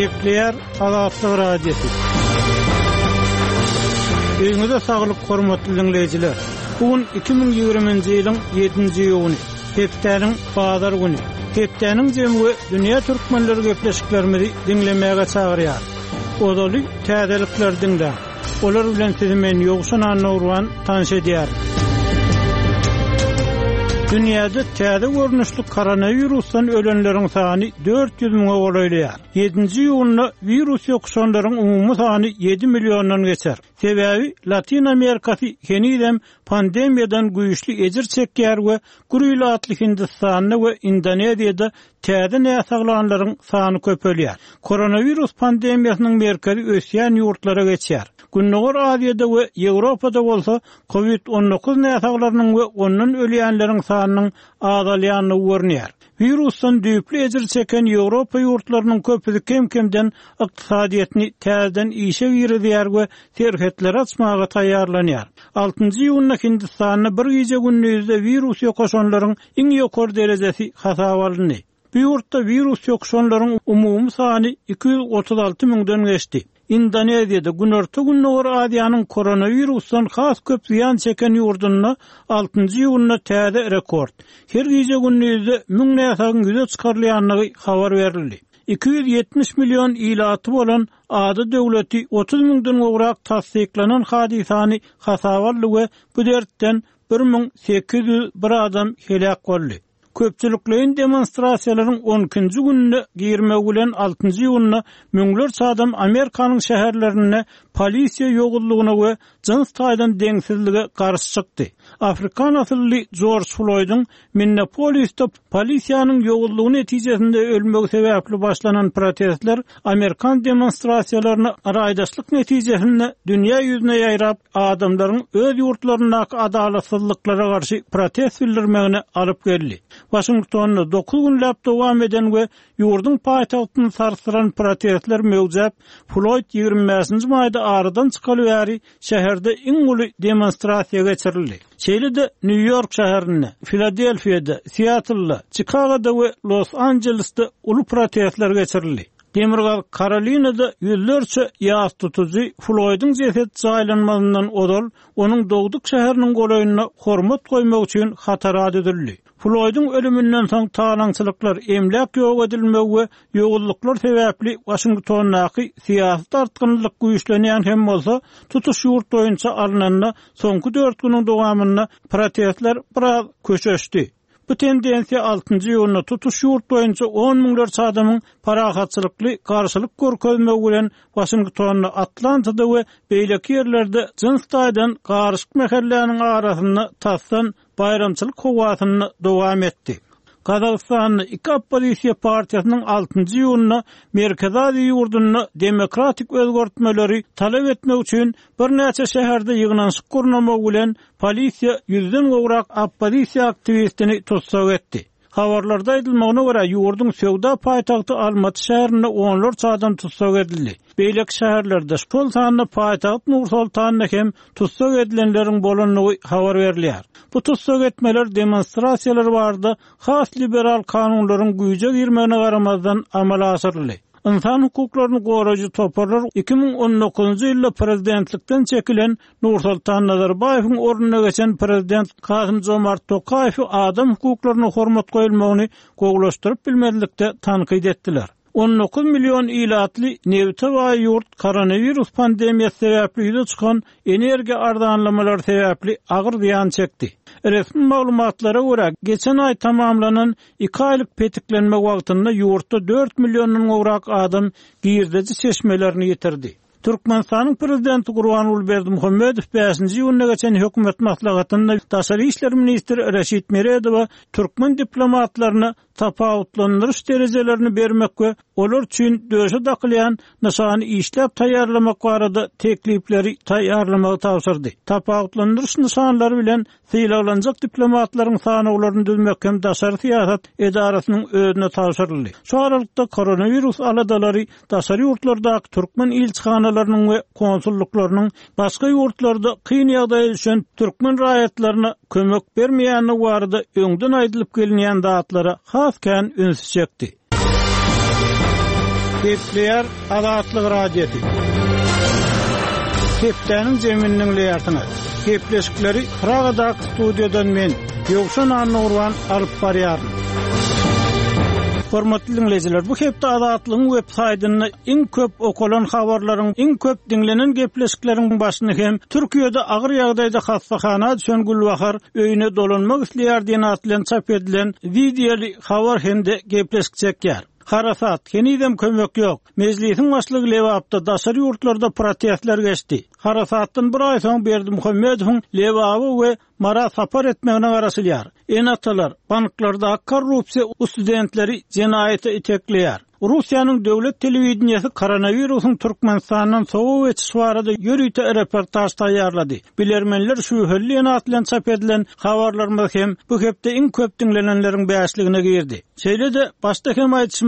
Gepleýär Azatlyk Radiosy. Öýüňize saglyk hormatly diňleýjiler. Bu gün 2020-nji ýylyň 7-nji iýuny, hepdäniň bazar güni. Hepdäniň jemi we dünýä türkmenleri gepleşiklerimizi diňlemäge çagyrýar. Ozaly täzelikleri diňläň. Olar bilen sizi men Ýowşan Annagurban tanyş edýärin. Dünýäde täze görnüşli koronawirusdan ölenleriň sany 400 müňe golaýlaýar. Ýedinji iýunda wirus ýokuşanlaryň umumy sany ýedi milliondan geçer. Sebäbi Latyn Amerikasy henizem pandemiýadan güýçli ejir çekýär we gür ilatly Hindistanda we Indoneziýada täze näsaglanlaryň sany köpelýär. Koronawirus pandemiýasynyň merkezi ösýän ýurtlara geçýär. Gündogar Aziýada we Ýewropada bolsa Covid 19 näsaglarynyň we ondan ölýänleriň sanynyň azalýandygy görünýär. Wirusdan düýpli ejir çeken Ýewropa ýurtlarynyň köpüsi kem-kemden ykdysadyýetini täzeden işe girizýär we serhetleri açmaga taýýarlanýar. Altynjy iýunda Hindistanda bir gije-gündizde wirus ýokaşanlaryň iň ýokary derejesi hasaba alyndy. Bu ýurtda wirus ýokuşanlaryň umumy sany 236 müňden geçdi. Indoneziýada, Günorta-Gündogar Aziýanyň koronawirusdan has köp zyýan çeken ýurdunda altynjy iýunda täze rekord, her gije-gündizde müň näsagyň ýüze çykarylýandygy habar berildi. 270 million ilaty bolan ada döwleti 30 müňden gowrak tassyklanan hadysany hasaba aldy we bu dertden 1801 adam heläk boldy. Köpçülikleýin demonstrasiýalaryň on ikinji gününe girmegi bilen altynjy iýunda müňlerçe adam Amerikanyň şäherlerinde polisiýa ýowuzlygyna we jyns taýdan deňsizlige garşy çykdy. Afrikan asylly Jorj Floýdyň Minneapolisde polisiýanyň ýowuzlygy netijesinde ölmegi sebäpli başlanan protestler amerikan demonstrasiýalaryna raýdaşlyk netijesinde dünýä ýüzüne ýaýrap, adamlaryň öz ýurtlaryndaky adalatsyzlyklara garşy protest bildirmegine alyp geldi. Waşingtonda dokuz günläp dowam eden we ýurduň paýtagtyny sarsdyran protestler möwjäp, Floýd 25-nji maýda aradan çykaly bäri şäherde iň uly demonstrasiýa geçirildi. Şeýle-de Nýu-Ýork şäherinde, Filadelfiýada, Siatlda, Çikagoda we Los-Anjelesde uly protestler geçirildi. Demirgazyk Karolinada ýüzlerçe ýas tutujy Floýdyň jesedi jaýlanmazyndan ozal onuň dogduk şäheriniň golaýynda hormat goýmak üçin hatara düzüldi. Floýdyň ölüminden soň talaňçylyklar, emläk ýok edilmegi we ýowuzlyklar sebäpli Waşingtondaky syýasy dartgynlylyk güýçlenýän hem bolsa, tutuş ýurt boýunça alnanda soňky dört günüň dowamynda protestler biraz köşeşdi. Bu tendensiýa altynjy iýunda tutuş ýurt boýunça on müňlerçe adamyň parahatçylykly garşylyk görkezmegi bilen Waşingtonda, Atlantada we beýleki ýerlerde jyns taýdan garyşyk mähelläniň arasynda tasdan baýramçylyk howasynda dowam etdi. Gazagystanda iki oppozisiýa partiýasynyň altynjy iýunda Merkezi Aziýa ýurdunda demokratik özgertmeleri talap etmek üçin birnäçe şäherde ýygnanyşyk gurnamagy bilen Polisiýa ýüzden gowrak oppozisiýa aktiwistini tussag etdi. Habarlarda aýdylmagyna görä, ýurduň söwda paýtagty Almaty şäherinde onlarça adam tussag edildi. Beýleki şäherlerde, şol sanda paýtagt Nur-Sultanda hem tussag edilenleriň bolandygy habar berilýär. Bu tussag etmeler demonstrasiýalar barada has liberal kanunlaryň güýje girmegine garamazdan amala aşyryldy. Ynsan hukuklaryny goraýjy toparlar 2019-njy ýylda prezidentlikden çekilen Nursultan Nazarbaýewiň ornuna geçen prezident Kasym-Jomart Tokaýewi adam hukuklaryna hormat goýulmagyny gowulaşdyryp bilmezlikde tankyt etdiler. 19 million ilatly nebite baý ýurt koronawirus pandemiýasy sebäpli ýüze çykan energiýa arzanlamalary sebäpli agyr zyýan çekdi. Resmi maglumatlara görä, geçen aý tamamlanan iki aýlyk petiklenme wagtynda ýurtda dört milliondan gowrak adam girdeji çeşmelerini ýitirdi. Türkmenistanyň Prezidenti Gurbanguly Berdimuhamedow bäşinji iýunda geçen hökümet maslahatynda daşary işler ministri Reşit Meredowa türkmen diplomatlaryna tapawutlandyryş derejelerini bermek we olar üçin döşe dakylýan nyşany işläp taýýarlamak barada teklipleri taýýarlamagy tabşyrdy. Tapawutlandyryş nyşanlary bilen Sylaglanjak diplomatlaryň sanawlaryny düzmek hem daşary syýasat edarasynyň özüne tabşyryldy. Şu aralykda koronawirus aladalary daşary ýurtlardaky türkmen ilçihanalarynyň we konsullyklarynyň başga ýurtlarda kyn ýagdaýa düşen türkmen raýatlaryna kömek bermeýändigi barada öňden aýdylyp gelinýän zatlara has kän ünsi çekdi. Gepleýär Azatlyk Radiosy. Hepdäniň jemini diňleýärsiňiz. Gepleşikleri Pragadaky studiýadan men, Ýowşan Annagurban alyp barýaryn. Hormatly diňleýjiler, bu hepde Azatlygyň web saýtynda iň köp okalan habarlaryň, iň köp diňlenen gepleşikleriň başyny hem Türkiýede agyr ýagdaýda hassahana düşen Gülbahar öýüne dolanmak isleýär diýen at bilen çap edilen wideoly habar hem-de gepleşik çekýär. Harasat, henizem kömek ýok. Mejlisiň başlygy Lebapda daşary ýurtlarda protestler geçdi. Harasatdan bir aý soň Berdimuhamedowyň Lebaba we Mara sapar etmegine garaşylýar. Ene-atalar, banklardaky korrupsiýa studentleri jenaýata itekleýär. Russiýanyň döwlet telewideniýesi koronawirusyň Türkmenistandan sowa geçişi barada ýörite reportaž taýýarlady. Bilermenler şübheli diýen at bilen çap edilen habarlarymyz hem bu hepde iň köp diňlenenleriň bäşligine girdi. Şeýle-de, başda hem aýdyşym.